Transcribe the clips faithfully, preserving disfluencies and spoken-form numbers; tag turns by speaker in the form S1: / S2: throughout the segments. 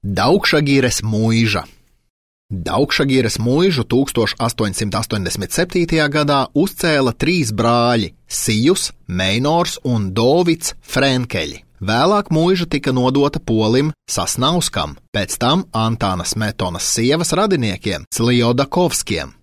S1: Daugšagires muiža. Daugšagires muižu tūkstoš astoņsimt astoņdesmit septītajā gadā uzcēla trīs brāļi – Sijus, Meinors un Dovits Frenkeļi. Vēlāk muiža tika nodota polim Sasnauskam, pēc tam Antāna Smetonas sievas radiniekiem Sljodakovskiem.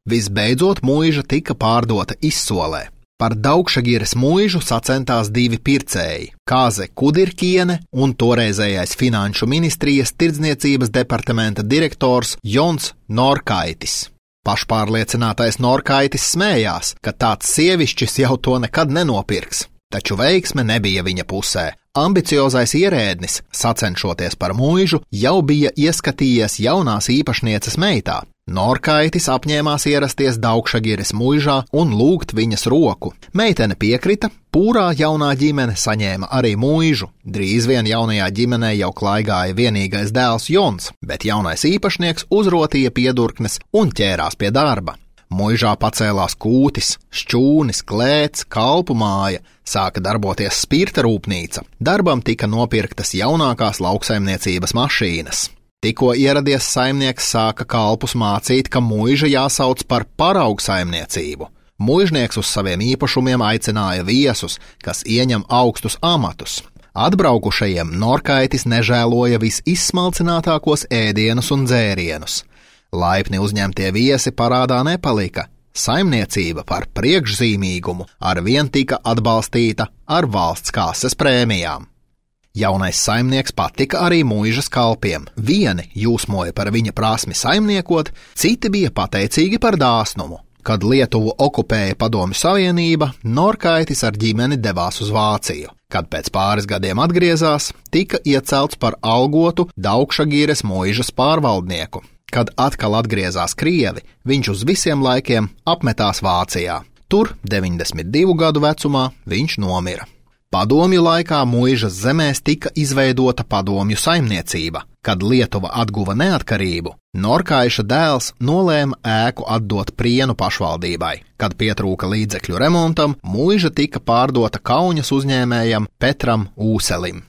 S1: Visbeidzot muiža tika pārdota izsolē. Par Daugšagires muižu sacentās divi pircēji – Kāze Kudirkiene un toreizējais Finanšu ministrijas tirdzniecības departamenta direktors Jons Norkaitis. Pašpārliecinātais Norkaitis smējās, ka tāds sievišķis jau to nekad nenopirks, taču veiksme nebija viņa pusē. Ambiciozais ierēdnis, sacenšoties par muižu, jau bija ieskatījies jaunās īpašnieces meitā. Norkaitis apņēmās ierasties Daugšagires muižā un lūgt viņas roku. Meitene piekrita, pūrā jaunā ģimene saņēma arī muižu. Drīz vien jaunajā ģimenē jau klaigāja vienīgais dēls Jons, bet jaunais īpašnieks uzrotīja piedurknes un ķērās pie darba. Muižā pacēlās kūtis, šķūnis, klēts, kalpu māja, sāka darboties spirta rūpnīca. Darbam tika nopirktas jaunākās lauksaimniecības mašīnas. Tikko ieradies saimnieks sāka kalpus mācīt, ka muiža jāsauc par paraugsaimniecību. Muižnieks uz saviem īpašumiem aicināja viesus, kas ieņem augstus amatus. Atbraukušajiem Norkaitis nežēloja visizsmalcinātākos ēdienus un dzērienus. Laipni uzņemtie viesi parādā nepalika. Saimniecība par priekšzīmīgumu arvien tika atbalstīta ar valsts kases prēmijām. Jaunais saimnieks patika arī muižas kalpiem. Vieni jūsmoja par viņa prasmi saimniekot, citi bija pateicīgi par dāsnumu. Kad Lietuvu okupēja Padomju Savienība, Norkaitis ar ģimeni devās uz Vāciju. Kad pēc pāris gadiem atgriezās, tika iecelts par algotu Daugšagires muižas pārvaldnieku. Kad atkal atgriezās Krievi, viņš uz visiem laikiem apmetās Vācijā. Tur, deviņdesmit divu gadu vecumā, viņš nomira. Padomju laikā muižas zemēs tika izveidota padomju saimniecība. Kad Lietuva atguva neatkarību, Norkaiša dēls nolēma ēku atdot Prienu pašvaldībai. Kad pietrūka līdzekļu remontam, muiža tika pārdota Kauņas uzņēmējam Petram Ūselim.